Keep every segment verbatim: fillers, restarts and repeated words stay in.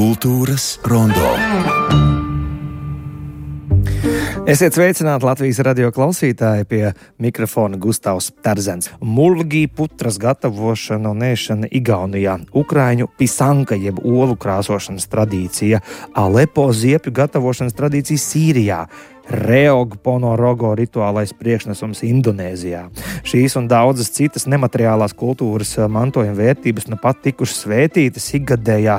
Kultūras rondo. Esiet sveicināti Latvijas radio klausītāji, pie mikrofona Gustavs Terzens. Mulgī putras gatavošana un ēšana Igaunijā, ukraiņu pisanka jeb olu krāsošanas tradīcija, Alepo ziepju gatavošanas tradīcija Sīrijā, Reog Ponorogo rituālais priekšnesums Indonēzijā. Šīs un daudzas citas nemateriālās kultūras mantojuma vērtības nu pat tikušas svētītas ikgadējā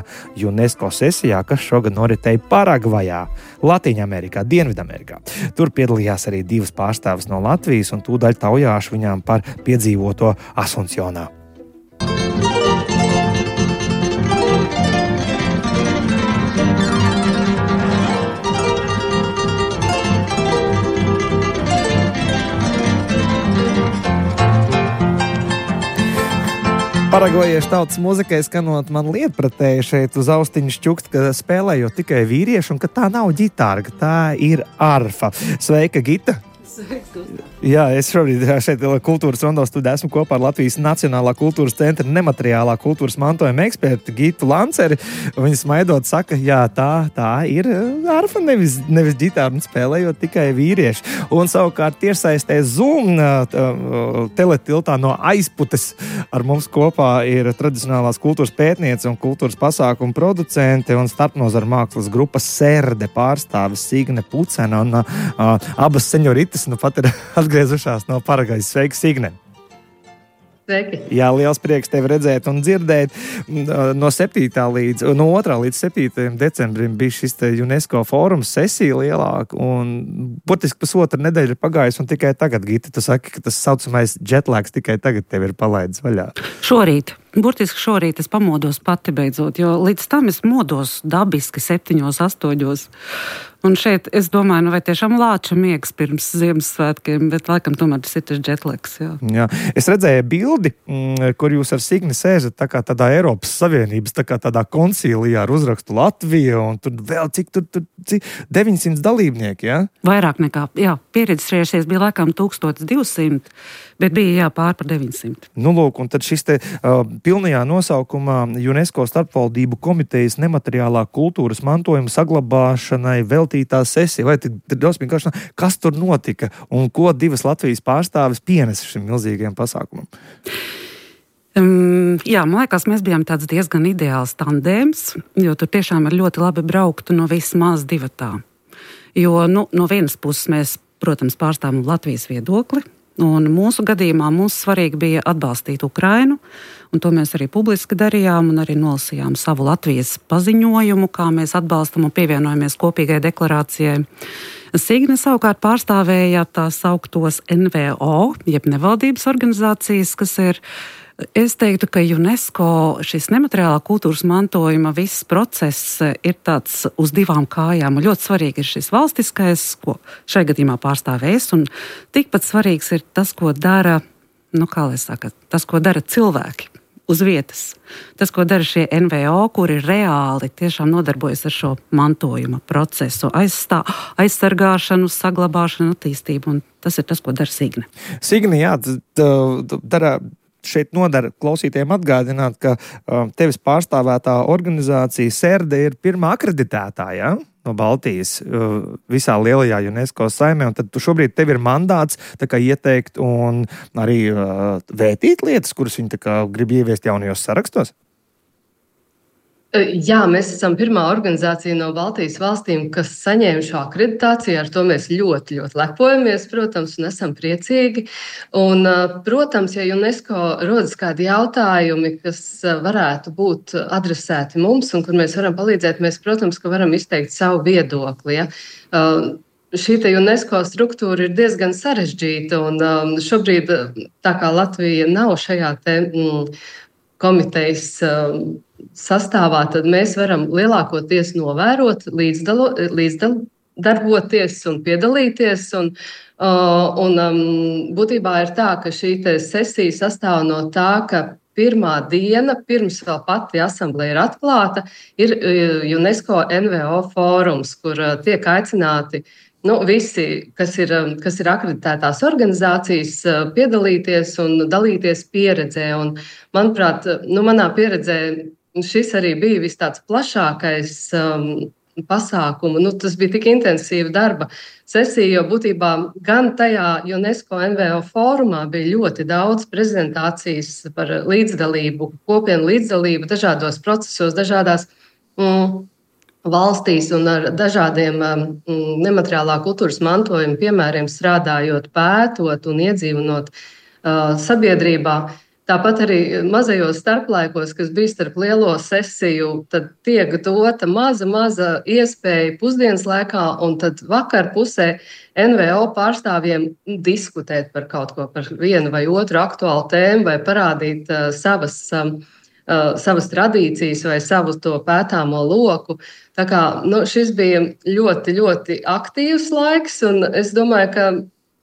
UNESCO sesijā, kas šogad noritēja Paragvajā, Latīņamerikā, Dienvidamerikā. Tur piedalījās arī divas pārstāvis no Latvijas un tūdaļ taujāšu viņām par piedzīvoto Asuncionā. Paragvajiešu tautas muzikai skanot man lietpratēji šeit uz austiņu šķukt, ka spēlējot tikai vīrieši un ka tā nav ģitāra, ka tā ir arfa. Sveika, Gita! Sveiks, Gustav! Jā, es šobrīd šeit kultūras rondo studijā esmu kopā ar Latvijas Nacionālā kultūras centra nemateriālā kultūras mantojuma ekspertu Gitu Lanceri. Viņa smaidot saka, jā, tā, tā ir arfa, nevis, nevis ģitāra, un spēlējot tikai vīrieši. Un savukārt tiešsaistē Zoom teletiltā no Aizputes ar mums kopā ir tradicionālās kultūras pētniece un kultūras pasākumu producente un starpnozara mākslas grupas Serde pārstāvis Signe Pucena un uh, abas seņoritas nu pat ir atgriezušās no Paragvajas. Sveiki, Signe! Sveiki! Jā, liels prieks tevi redzēt un dzirdēt. No septītā līdz, no otrā līdz septītajam decembrim bija šis te UNESCO fórums sesija lielāka un burtiski pusotra nedēļa pagājusi un tikai tagad, Gita, tu saki, ka tas saucamais jetlags tikai tagad tev ir palaidis vaļā. Šorīt. Burtiski šorīt es pamodos pati beidzot, jo līdz tam es modos dabiski septiņos, astoņos. Un šeit es domāju, nu vai tiešām lāča miegs pirms Ziemassvētkiem, bet laikam tomēr tas ir tas jetlags, jā. Jā. Es redzēju bildi, kur jūs ar Signi sēžat tā kā tādā Eiropas Savienības, tā kā tādā koncīlijā ar uzrakstu Latvija, un tur vēl cik tur, tur cik, deviņsimt dalībnieki, jā? Vairāk nekā, jā, pieregistrējušies bija laikam tūkstoš divsimt, bet bija jā pār par deviņsimt. Nu, lūk, un tad šis te uh, pilnajā nosaukumā UNESCO starpvaldību komitejas nemateriālā kultūras mantojuma saglabāšanai veltītā sesija. Vai tad drosmīgi kāšanā, kas tur notika un ko divas Latvijas pārstāvis pienesa šim milzīgajam pasākumam? Um, jā, man liekas, mēs bijām tāds diezgan ideāls tandēms, jo tur tiešām ir ļoti labi braukt no vismaz divatā. Jo, nu, no vienas puses mēs, protams, pārstāvam Latvijas viedokli, un mūsu gadījumā mums svarīgi bija atbalstīt Ukrainu, un to mēs arī publiski darījām, un arī nolasījām savu Latvijas paziņojumu, kā mēs atbalstam un pievienojamies kopīgai deklarācijai. Signe savukārt pārstāvēja tā sauktos N V O, jeb nevaldības organizācijas, kas ir, es teiktu, ka UNESCO šis nemateriālā kultūras mantojuma viss process ir tāds uz divām kājām. Un ļoti svarīgi ir šis valstiskais, ko šai gadījumā pārstāvēs, un tikpat svarīgs ir tas, ko dara, nu kā lai saka, tas, ko dara cilvēki uz vietas. Tas, ko dara šie N V O, kuri reāli tiešām nodarbojas ar šo mantojuma procesu, aizstā, aizsargāšanu, saglabāšanu, attīstību, un tas ir tas, ko dara Signe. Signe, jā, dara... Šeit nodara klausītājiem atgādināt, ka uh, tevis pārstāvētā organizācija Serde ir pirmā akreditētā, ja? No Baltijas uh, visā lielajā UNESCO saimē, un tad tu šobrīd tev ir mandāts tā kā ieteikt un arī uh, vētīt lietas, kuras viņi tā kā grib ieviest jaunajos sarakstos? Jā, mēs esam pirmā organizācija no Baltijas valstīm, kas saņēma šo akreditāciju. Ar to mēs ļoti, ļoti lepojamies, protams, un esam priecīgi. Un, protams, ja UNESCO rodas kādi jautājumi, kas varētu būt adresēti mums un kur mēs varam palīdzēt, mēs, protams, ka varam izteikt savu viedokli. Ja? Šī UNESCO struktūra ir diezgan sarežģīta, un šobrīd, tā kā Latvija nav šajā te, mm, komitejas sastāvā, tad mēs varam lielākoties novērot, līdzdalo, līdzdarboties un piedalīties. Un, un būtībā ir tā, ka šī sesija sastāv no tā, ka pirmā diena, pirms vēl pati asambleja ir atklāta, ir UNESCO N V O fórums, kur tiek aicināti Nu, visi, kas ir, kas ir akreditētās organizācijas, piedalīties un dalīties pieredzē. Un, manuprāt, nu, manā pieredzē šis arī bija vis tāds plašākais um, pasākumu. Nu, tas bija tik intensīva darba sesija, jo būtībā gan tajā UNESCO N V O fórumā bija ļoti daudz prezentācijas par līdzdalību, kopienu līdzdalību dažādos procesos, dažādās mm, valstīs un ar dažādiem um, nemateriālā kultūras mantojuma piemēriem strādājot, pētot un iedzīvinot uh, sabiedrībā. Tāpat arī mazajos starplaikos, kas bija starp lielo sesiju, tad tiek dota maza, maza iespēja pusdienas laikā, un tad vakar pusē N V O pārstāvjiem diskutēt par kaut ko, par vienu vai otru aktuālu tēmu, vai parādīt uh, savas, um, uh, savas tradīcijas vai savu to pētāmo loku. Tā kā, nu, šis bija ļoti, ļoti aktīvs laiks, un es domāju, ka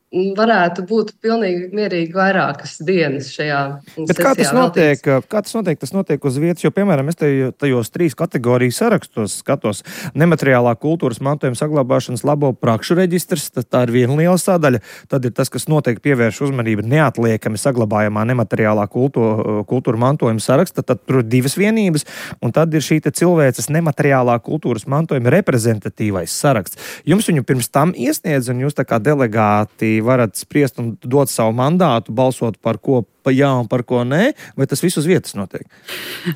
varētu būt pilnīgi mierīgi vairākas dienas šajā sesijā. Bet kā tas notiek? Kā tas notiek? Tas notiek uz vietas, jo, piemēram, es te, tajos trīs kategoriju sarakstos skatos nemateriālā kultūras mantojuma saglabāšanas labo prakšu reģistrs, tā ir viena liela sadaļa. Tad ir tas, kas noteikti pievērš uzmanību neatliekami saglabājamā nemateriālā kultūra, kultūra mantojuma saraksta, tad tur ir divas vienības, un tad ir šī te cilvēces nemateriālā kultūras mantojuma reprezentatīvais saraksts. Jums viņu pirms tam iesniedz, un jūs tā kā delegāti varat spriest un dot savu mandātu, balsot par ko pa jā un par ko nē, vai tas viss uz vietas notiek?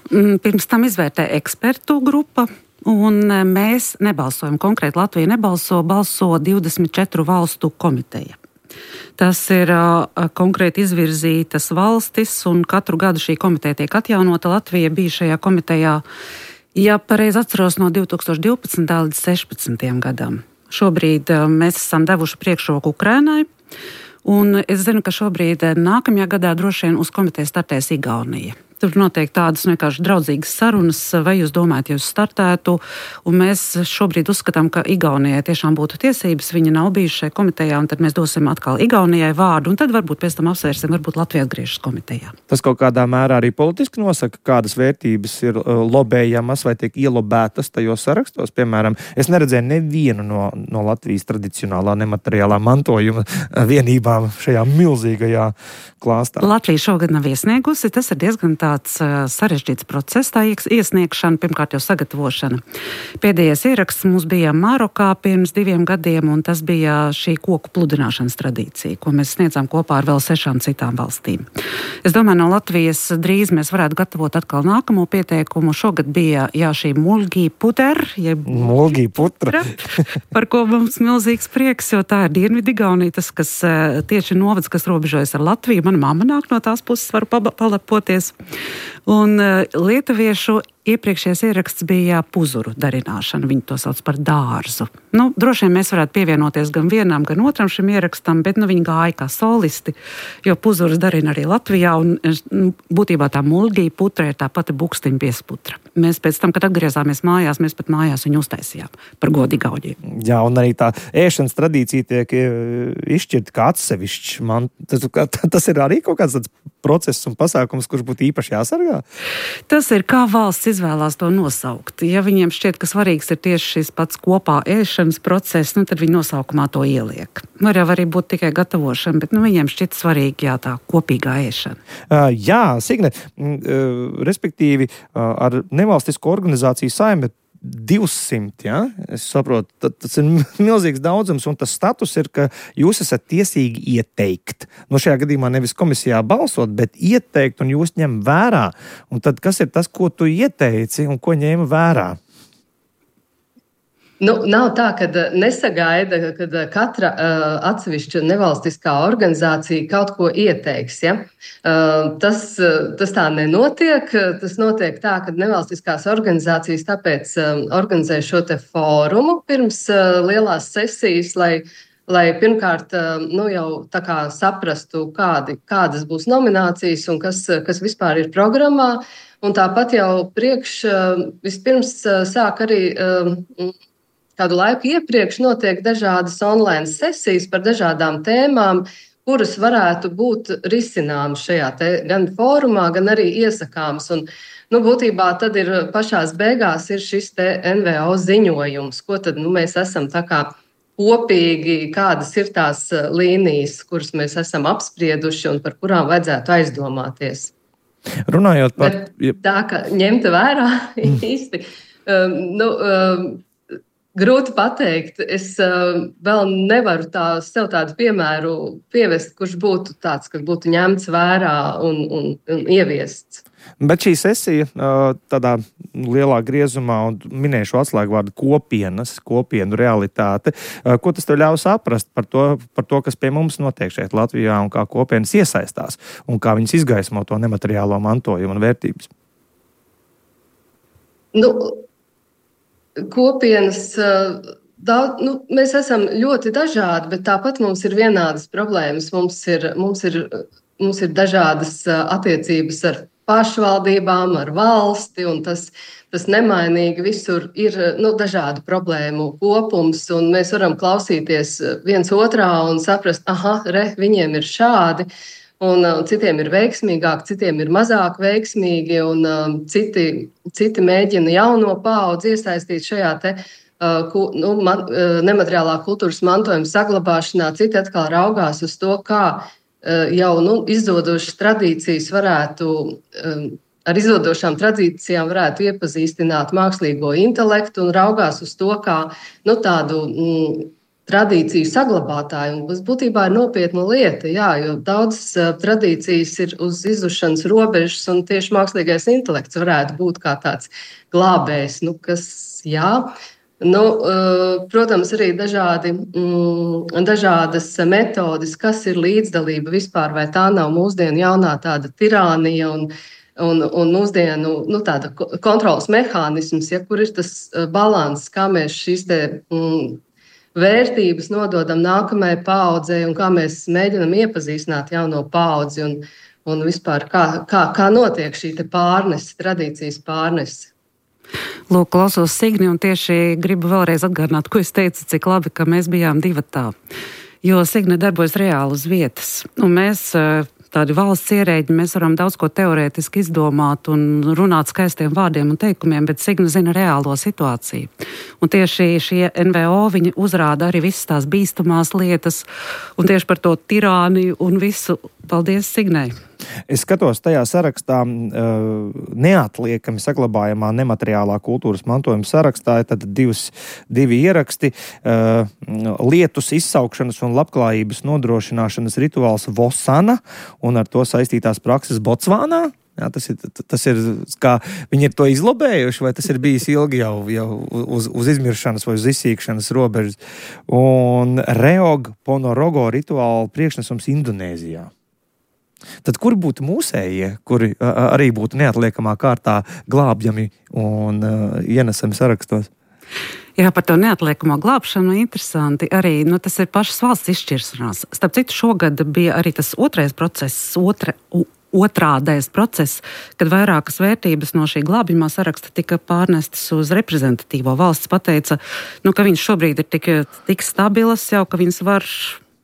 Pirms tam izvērtē ekspertu grupa, un mēs nebalsojam. Konkrēti Latvija nebalso, balso divdesmit četru valstu komiteja. Tas ir uh, konkrēti izvirzītas valstis, un katru gadu šī komiteja tiek atjaunota. Latvija bija šajā komitejā, ja pareizi atceros, no divi tūkstoši divpadsmitā līdz sešpadsmitajam gadam. Šobrīd mēs esam devuši priekšroku Ukrainai, un es zinu, ka šobrīd nākamajā gadā droši vien uz komiteju startēs Igaunija. Tur notiek tādas vienkārši draudzīgas sarunas, vai jūs domājat, ja jūs startētu, un mēs šobrīd uzskatām, ka Igaunijai tiešām būtu tiesības, viņa nav bijuši šajā komitejā, un tad mēs dosim atkal Igaunijai vārdu, un tad varbūt pēc tam apsvērsim, varbūt Latvija atgriežas komitejā. Tas kaut kādā mērā arī politiski nosaka, kādas vērtības ir lobējamas vai tiek ielobētas tajos sarakstos. Piemēram, es neredzēju nevienu no, no Latvijas tradicionālā nemateriālā mantojuma vienībām šajā milzīgajā klāstā. Latvija šogad nav iesniegusi, tas ir diezgan tāds uh, sarežģīts process, tā iesniegšana, pirmkārt jau sagatavošana. Pēdējais ieraksts mums bija Marokā pirms diviem gadiem, un tas bija šī koku pludināšanas tradīcija, ko mēs sniedzām kopā ar vēl sešām citām valstīm. Es domāju, no Latvijas drīz mēs varētu gatavot atkal nākamo pieteikumu. Šogad bija jā, šī mulgī puter, jeb mulgī putra, par ko mums milzīgs prieks, jo tā ir Dienvidigaunija, tas, kas uh, tieši novads, kas robežojas ar Latviju. Mana mamma nāk no tās puses, varu palepoties. Un uh, lietuviešu iepriekšējais ieraksts bija puzuru darināšana, viņi to sauc par dārzu. Nu, droši vien mēs varētu pievienoties gan vienam, gan otram šim ierakstam, bet nu, viņi gāja kā solisti, jo puzuras darina arī Latvijā, un nu, būtībā tā mulgī putra ir tā pati bukstiņa piesputra. Mēs pēc tam, kad atgriezāmies mājās, mēs pat mājās viņu uztaisījām par godu Igauniem. Jā, un arī tā ēšanas tradīcija tiek izšķirta kā atsevišķs. Man, tas, tas ir arī kaut kāds tāds process un pasākums, kurš būtu īpaši jāsargā? Tas ir kā valsts izvēlās to nosaukt. Ja viņiem šķiet, ka svarīgs ir tieši šis pats kopā ēšanas process, nu, tad viņi nosaukumā to ieliek. Var jau arī būt tikai gatavošana, bet nu, viņiem šķiet svarīgi jā, tā kopīgā ēšana. Uh, jā, Signe, uh, respektīvi uh, ar nevalstisko organizāciju Saime divsimt, ja? Es saprotu, tas ir milzīgs daudzums, un tas status ir, ka jūs esat tiesīgi ieteikt. No šajā gadījumā nevis komisijā balsot, bet ieteikt, un jūs ņem vērā. Un tad kas ir tas, ko tu ieteici un ko ņēma vērā? Nu, nav tā, ka nesagaida, kad katra uh, atsevišķa nevalstiskā organizācija kaut ko ieteiks. Ja? Uh, tas, uh, tas tā nenotiek. Tas notiek tā, ka nevalstiskās organizācijas tāpēc um, organizē šo te fórumu pirms uh, lielās sesijas, lai, lai pirmkārt uh, nu, jau tā kā saprastu, kādi, kādas būs nominācijas un kas, kas vispār ir programmā. Un tāpat jau priekš uh, vispirms uh, sāk arī uh, kādu laiku iepriekš notiek dažādas online sesijas par dažādām tēmām, kuras varētu būt risināmas šajā te gan fórumā, gan arī iesakāmas. Un, nu, būtībā tad ir pašās beigās ir šis te N V O ziņojums, ko tad nu, mēs esam tā kā kopīgi, kādas ir tās līnijas, kuras mēs esam apsprieduši un par kurām vajadzētu aizdomāties. Runājot par... Bet tā, ka ņemta vērā īsti, um, nu, um, grūti pateikt. Es uh, vēl nevaru tā, sev tādu piemēru pievest, kurš būtu tāds, kas būtu ņemts vērā un, un, un ieviests. Bet šī sesija uh, tādā lielā griezumā, un minēšu atslēgvārdu kopienas, kopienu realitāte, uh, ko tas tev ļauj saprast par to, par to, kas pie mums notiek šeit Latvijā un kā kopienas iesaistās un kā viņas izgaismo to nemateriālo mantojumu un vērtības? Nu, kopienas, daudz, nu, mēs esam ļoti dažādi, bet tāpat mums ir vienādas problēmas. Mums ir, mums ir, mums ir dažādas attiecības ar pašvaldībām, ar valsti, un tas, tas nemainīgi visur ir nu, dažādu problēmu kopums, un mēs varam klausīties viens otrā un saprast, aha, re, viņiem ir šādi, un uh, citiem ir veiksmīgāk, citiem ir mazāk veiksmīgi, un uh, citi, citi mēģina jauno paudzi iesaistīt šajā te, uh, ku, nu, man, uh, nemateriālā kultūras mantojuma saglabāšanā, citi atkal raugās uz to, kā uh, jau nu, izdodošas tradīcijas varētu, um, ar izdodošām tradīcijām varētu iepazīstināt mākslīgo intelektu un raugās uz to, kā nu, tādu mm, tradīciju saglabātāji, un tas būtībā ir nopietna lieta, jā, jo daudzas uh, tradīcijas ir uz izušanas robežas, un tieši mākslīgais intelekts varētu būt kā tāds glābējs, nu, kas, jā, nu, uh, protams, arī dažādi, mm, dažādas metodes, kas ir līdzdalība vispār, vai tā nav mūsdienu jaunā tāda tirānija un Un, un mūsdienu nu, tāda kontrolas mehānisms, ja, kur ir tas uh, balans, kā mēs šīs te, mm, vērtības nododam nākamajai paaudzei un kā mēs mēģinam iepazīstināt jauno paudzi un, un vispār kā, kā, kā notiek šī te pārnese, tradīcijas pārnese. Lūk, klausos Signi un tieši gribu vēlreiz atgādināt, ko es teicu, cik labi, ka mēs bijām divatā. Jo Signe darbojas reāli uz vietas. Un mēs... Tādi valsts ierēģi, mēs varam daudz ko teorētiski izdomāt un runāt skaistiem vārdiem un teikumiem, bet Signa zina reālo situāciju. Un tieši šie N V O, viņi uzrāda arī visas tās bīstamās lietas un tieši par to tirāniju un visu. Paldies, Signai! Es skatos tajā sarakstā, neatliekami saglabājamā nemateriālā kultūras mantojuma sarakstā, ir tad divas, divi ieraksti, lietus izsaukšanas un labklājības nodrošināšanas rituāls Vosana un ar to saistītās prakses Botsvānā. Jā, tas ir, tas ir, kā viņi ir to izlobējuši, vai tas ir bijis ilgi jau, jau uz, uz izmiršanas vai uz izsīkšanas robežas. Un Reog Ponorogo rituāla priekšnesums Indonēzijā. Tad kur būtu mūsējie, kuri arī būtu neatliekamā kārtā glābjami un uh, ienesami sarakstos? Jā, par to neatliekamo glābšanu interesanti. Arī nu, tas ir pašas valsts izšķiršanās. Starp citu, šogad bija arī tas otrais process, otra, otrādais process, kad vairākas vērtības no šī glābjamā saraksta tika pārnestas uz reprezentatīvo. Valsts pateica, nu, ka viņš šobrīd ir tik, tik stabilas jau, ka viņas var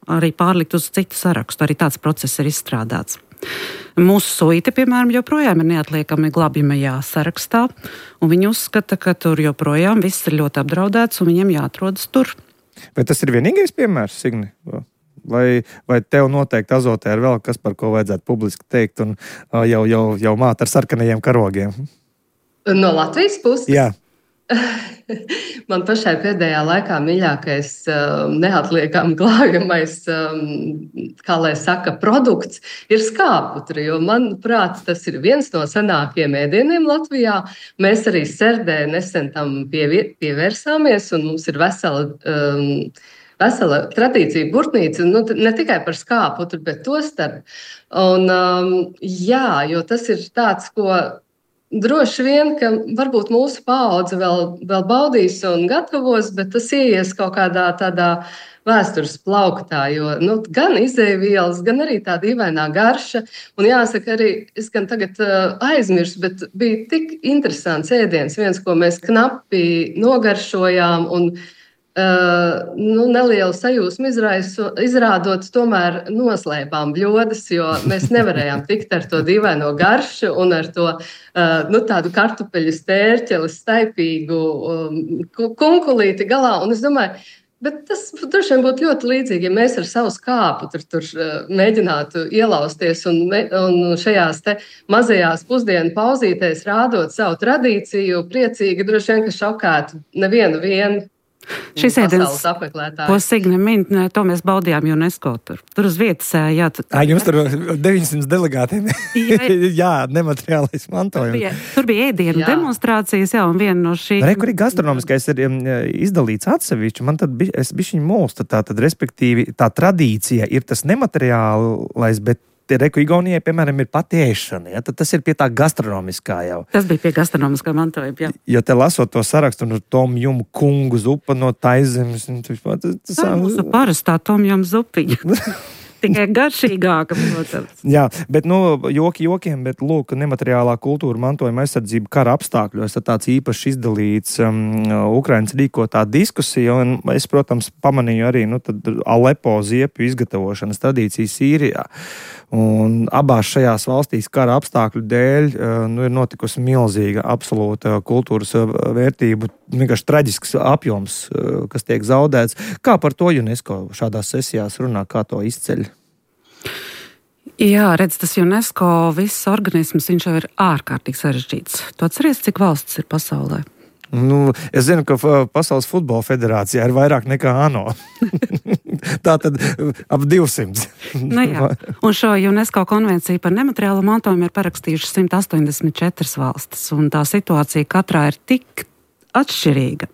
arī pārlikt uz citu sarakstu. Arī tāds process ir izstrādāts. Mūsu suite, piemēram, joprojām ir neatliekami glābjamajā sarakstā, un viņi uzskata, ka tur joprojām viss ir ļoti apdraudēts, un viņiem jāatrodas tur. Vai tas ir vienīgais piemērs, Signi? Vai, vai tev noteikti Azotē ir vēl kas, par ko vajadzētu publiski teikt, un jau, jau, jau māt ar sarkanajiem karogiem? No Latvijas puses? Jā. Man pašai pēdējā laikā mīļākais, neatliekami glābjamais, kā lai saka, produkts ir skāputra, jo, manuprāt, tas ir viens no senākiem ēdieniem Latvijā. Mēs arī Serdē nesen tam pievērsāmies, un mums ir vesela, um, vesela tradīcija burtnīca, nu, ne tikai par skāputru, bet to starp. Un, um, jā, jo tas ir tāds, ko droši vien, ka varbūt mūsu paudze vēl, vēl baudīs un gatavos, bet tas ieies kaut kādā tādā vēstures plauktā, jo nu, gan izēvielas, gan arī tā dīvainā garša. Un jāsaka arī, es gan tagad uh, aizmirsu, bet bija tik interesants ēdiens, viens, ko mēs knapi nogaršojām un Uh, nu, nelielu sajūsmu izraisu, izrādot, tomēr noslēpām bļodas, jo mēs nevarējām tikt ar to dīvaino garšu un ar to uh, nu, tādu kartupeļu stērķeli, staipīgu um, kunkulīti galā. Un es domāju, Bet tas droši vien būtu ļoti līdzīgi, ja mēs ar savu skāpu tur, tur mēģinātu ielausties un, un šajās te mazajās pusdienu pauzītēs rādot savu tradīciju, priecīgi droši vien, ka šokētu nevienu vienu. Šis ēdiens, ko Signe min, to mēs baudījām UNESCO tur. Tur uz vietas, jā. Tu... Ā, jums tur deviņsimt delegātiem. Jā, jā, nemateriālais mantojums. Tur bija, tur bija ēdienu jā. demonstrācijas, jā, un viena no šī... Re, kur ir gastronomiskais ir izdalīts atsevišķi, man tad bi, es bišķiņ mūstu, tā tad respektīvi tā tradīcija ir tas nemateriālais, bet Reku Igaunijai, piemēram, ir pati ēšana, ja? Tad tas ir pie tā gastronomiskā jau. Tas bija pie gastronomiskā mantojuma, jā. Jo te lasot to sarakstu, no Tom Jum kungu zupa no Taizemes. Tas, tas, tā ir mūsu parastā Tom Jum zupiņa. Tikai garšīgāka, protams. Jā, bet, nu, joki jokiem, bet, lūk, nemateriālā kultūra mantojuma aizsardzība kara apstākļos, tad tāds īpaši izdalīts um, Ukrainas rīkotā diskusija, un es, protams, pamanīju arī, nu, tad Alepo ziepju izgatavošanas tradīciju Sīrijā. Un abās šajās valstīs kara apstākļu dēļ nu, ir notikusi milzīga absolūta kultūras vērtību, vienkārši traģisks apjoms, kas tiek zaudēts. Kā par to UNESCO šādās sesijās runā, kā to izceļ? Jā, redz, tas UNESCO viss organisms, viņš jau ir ārkārtīgi sarežģīts. Tu atceries, cik valstis ir pasaulē? Nu, es zinu, ka Pasaules futbola federācijā ir vairāk nekā ANO. Tā tad ap divsimt. Nu jā. Un šo UNESCO konvenciju par nemateriālo mantojumu ir parakstījuši simt astoņdesmit četras valstis, un tā situācija katrā ir tik atšķirīga.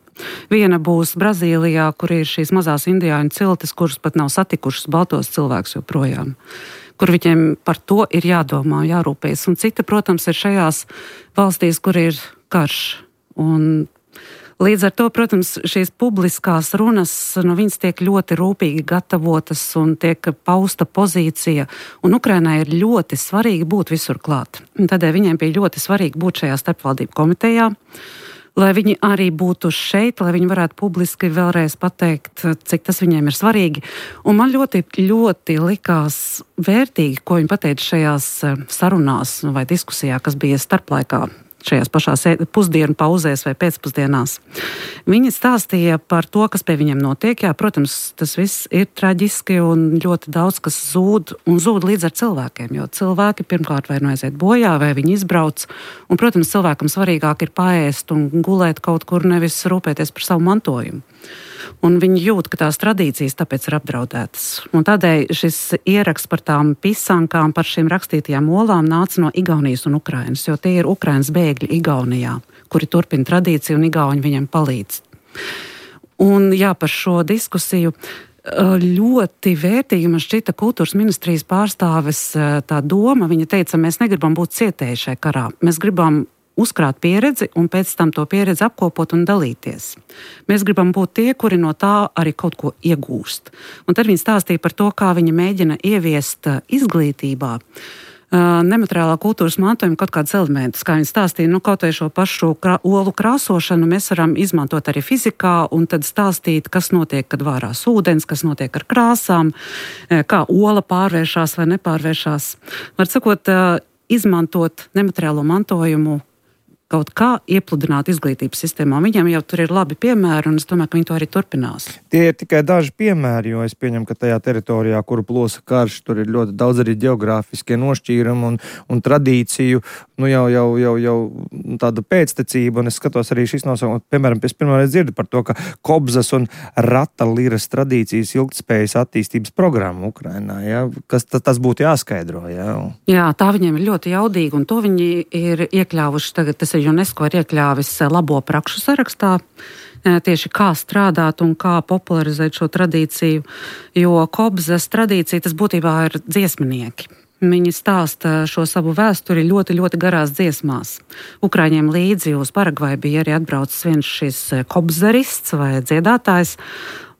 Viena būs Brazīlijā, kur ir šīs mazās indiāņu ciltis, kuras pat nav satikušas baltos cilvēkus joprojām, kur viņiem par to ir jādomā, jārūpējas. Un cita, protams, ir šajās valstīs, kur ir karš. Un līdz ar to, protams, šīs publiskās runas, nu, viņas tiek ļoti rūpīgi gatavotas un tiek pausta pozīcija, un Ukrainai ir ļoti svarīgi būt visur klāt. Tādēļ viņiem bija ļoti svarīgi būt šajā starpvaldību komitejā, lai viņi arī būtu šeit, lai viņi varētu publiski vēlreiz pateikt, cik tas viņiem ir svarīgi. Un man ļoti, ļoti likās vērtīgi, ko viņi pateica šajās sarunās vai diskusijā, kas bija starplaikā, šajās pašās pusdienu pauzēs vai pēcpusdienās. Viņi stāstīja par to, kas pie viņiem notiek. Jā, protams, tas viss ir traģiski un ļoti daudz, kas zūd un zūd līdz ar cilvēkiem, jo cilvēki pirmkārt vai nu aiziet bojā, vai viņi izbrauc. Un, protams, cilvēkam svarīgāk ir paēst un gulēt kaut kur, nevis rūpēties par savu mantojumu. Un viņi jūt, ka tās tradīcijas tāpēc ir apdraudētas. Un tādēļ šis ieraksts par tām pisankām, par šīm rakstītajām olām nāca no Igaunijas un Ukrainas, jo tie ir Ukrainas bēgļi Igaunijā, kuri turpina tradīciju un Igauņi viņiem palīdz. Un jā, par šo diskusiju ļoti vērtīgi man šķita kultūras ministrijas pārstāves tā doma. Viņa teica, mēs negribam būt cietēji šai karā, mēs gribam uzkrāt pieredzi un pēc tam to pieredzi apkopot un dalīties. Mēs gribam būt tie, kuri no tā arī kaut ko iegūst. Un tad viņi stāstīja par to, kā viņi mēģina ieviest izglītībā nemateriālā kultūras mantojuma kaut kādas elementus. Kā viņi stāstīja, nu kaut vai šo pašu krā, olu krāsošanu mēs varam izmantot arī fizikā un tad stāstīt, kas notiek, kad vārās ūdens, kas notiek ar krāsām, kā ola pārvēršās vai nepārvēršās. Var sakot, izmantot nemateriālo mantojumu kaut kā iepludināt izglītības sistēmā. Viņiem jau tur ir labi piemēri, un es domāju, ka viņi to arī turpinās. Tie ir tikai daži piemēri, jo es pieņemu, ka tajā teritorijā, kuru plosa karš, tur ir ļoti daudz arī geogrāfiskie nošķīrumi un, un tradīciju, nu jau, jau, jau, jau tāda pēctecība, un es skatos arī šis nosaukums, piemēram, es pirmā reiz dzirdu par to, ka Kobzas un Rata liras tradīcijas ilgtspējas attīstības programma Ukrainā, ja? Kas tas, tas būtu jāskaidro, ja? Jā, tā viņiem ir ļoti jaudīga, un to viņi ir iekļāvuši tagad, tas ir UNESCO ir iekļāvis labo prakšu sarakstā, tieši kā strādāt un kā popularizēt šo tradīciju, jo Kobzas tradīcija tas būtībā ir dziesminieki. Viņi stāsta šo savu vēsturi ļoti, ļoti garās dziesmās. Ukraiņiem līdzi uz Paragvaju bija arī atbraucis viens šis kobzarists vai dziedātājs.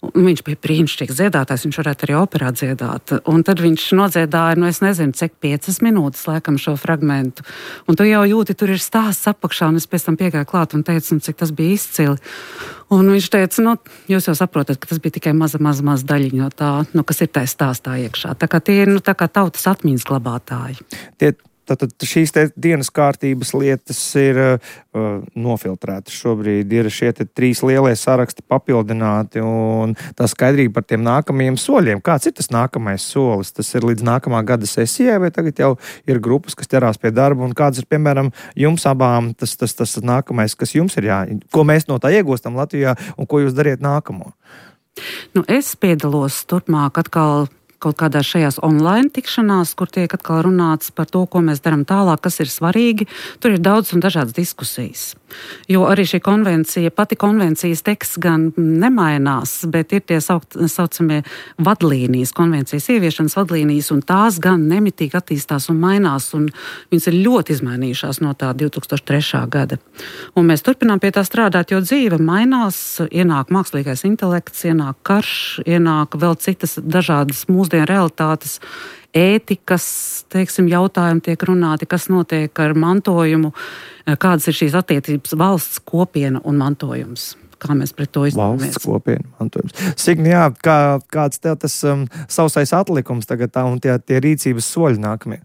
Viņš bija brīnišķīgs dziedātājs, viņš varētu arī operā dziedāt. Un tad viņš nodziedāja, nu es nezinu, cik piecas minūtes laikam šo fragmentu. Un tu jau jūti, tur ir stāsts apakšā, un es pēc tam piegāju klāt un teicu, cik tas bija izcili. Un viņš teica, nu, jūs jau saprotat, ka tas bija tikai maza, maza, maza daļiņa no tā, nu, kas ir tajā stāstā iekšā. Tā kā tie ir, nu, tā kā tautas atmiņas glabātāji. Tie Tātad šīs te dienas kārtības lietas ir uh, nofiltrētas. Šobrīd ir šie te trīs lielie saraksti papildināti un tā skaidrība par tiem nākamajiem soļiem. Kāds ir tas nākamais solis? Tas ir līdz nākamā gada sesijai vai tagad jau ir grupas, kas ķerās pie darba un kāds ir, piemēram, jums abām tas, tas, tas nākamais, kas jums ir jā, ko mēs no tā iegūstam Latvijā un ko jūs dariet nākamo? Nu, es piedalos turpmāk atkal kaut kādās šajās online tikšanās, kur tiek atkal runāts par to, ko mēs darām tālāk, kas ir svarīgi. Tur ir daudz un dažādas diskusijas. Jo arī šī konvencija, pati konvencijas teksts gan nemainās, bet ir tie saukt, saucamie vadlīnijas, konvencijas ieviešanas vadlīnijas, un tās gan nemitīgi attīstās un mainās, un viņas ir ļoti izmainījušās no tā divi tūkstoši trešā gada. Un mēs turpinām pie tā strādāt, jo dzīve mainās, ienāk mākslīgais intelekts, ienāk karš, ienāk vēl citas dažādas mūsdienu realitātes, ētikas, teiksim, jautājumi tiek runāti, kas notiek ar mantojumu, kādas ir šīs attiecības valsts kopiena un mantojums. Kā mēs pret to izturēsimies? Valsts kopiena, mantojums. Signi, jā, kā, kāds tev tas um, sausais atlikums tagad tā un tie, tie rīcības soļi nākamie?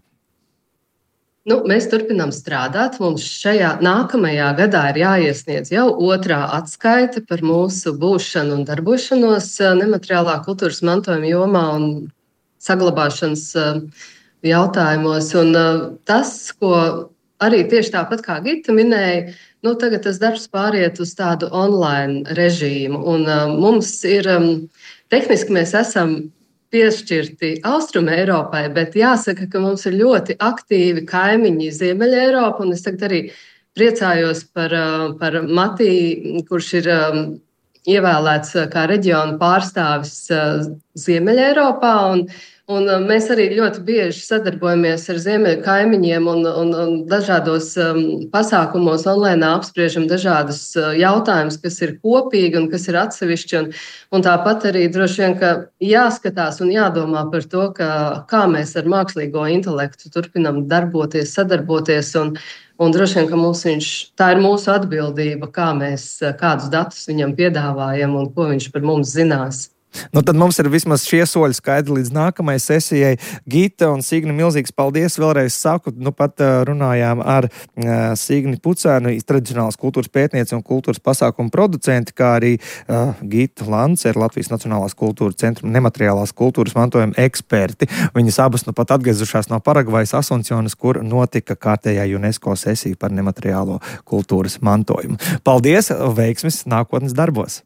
Nu, mēs turpinām strādāt. Mums šajā nākamajā gadā ir jāiesniedz jau otrā atskaite par mūsu būšanu un darbošanos nemateriālā kultūras mantojuma jomā un saglabāšanas jautājumos. Un tas, ko arī tieši tāpat kā Gita minēja, nu, tagad tas darbs pāriet uz tādu online režīmu. Un mums ir, tehniski mēs esam piešķirti Austrum Eiropai, bet jāsaka, ka mums ir ļoti aktīvi kaimiņi Ziemeļa Eiropa, un es tagad arī priecājos par, par Matiju, kurš ir ievēlēts kā reģiona pārstāvis Ziemeļa Eiropā, un, un mēs arī ļoti bieži sadarbojamies ar ziemeļu kaimiņiem un, un, un dažādos um, pasākumos online apspriežam dažādus uh, jautājumus, kas ir kopīgi un kas ir atsevišķi, un, un tāpat arī droši vien, ka jāskatās un jādomā par to, ka, kā mēs ar mākslīgo intelektu turpinam darboties, sadarboties, un Un droši vien, ka mums viņš, tā ir mūsu atbildība, kā mēs, kādus datus viņam piedāvājam un ko viņš par mums zinās. Nu, tad mums ir vismaz šie soļi skaidri līdz nākamajai sesijai. Gita un Signi, milzīgs paldies. Vēlreiz saku, nu pat uh, runājām ar uh, Signi Pucēnu, tradicionālās kultūras pētnieci un kultūras pasākumu producenti, kā arī uh, Gita Lancer, Latvijas Nacionālās kultūras centra nemateriālās kultūras mantojuma eksperti. Viņas abas nu pat atgriezušās no Paragvajas Asuncionas, kur notika kārtējā UNESCO sesija par nemateriālo kultūras mantojumu. Paldies, veiksmes nākotnes darbos!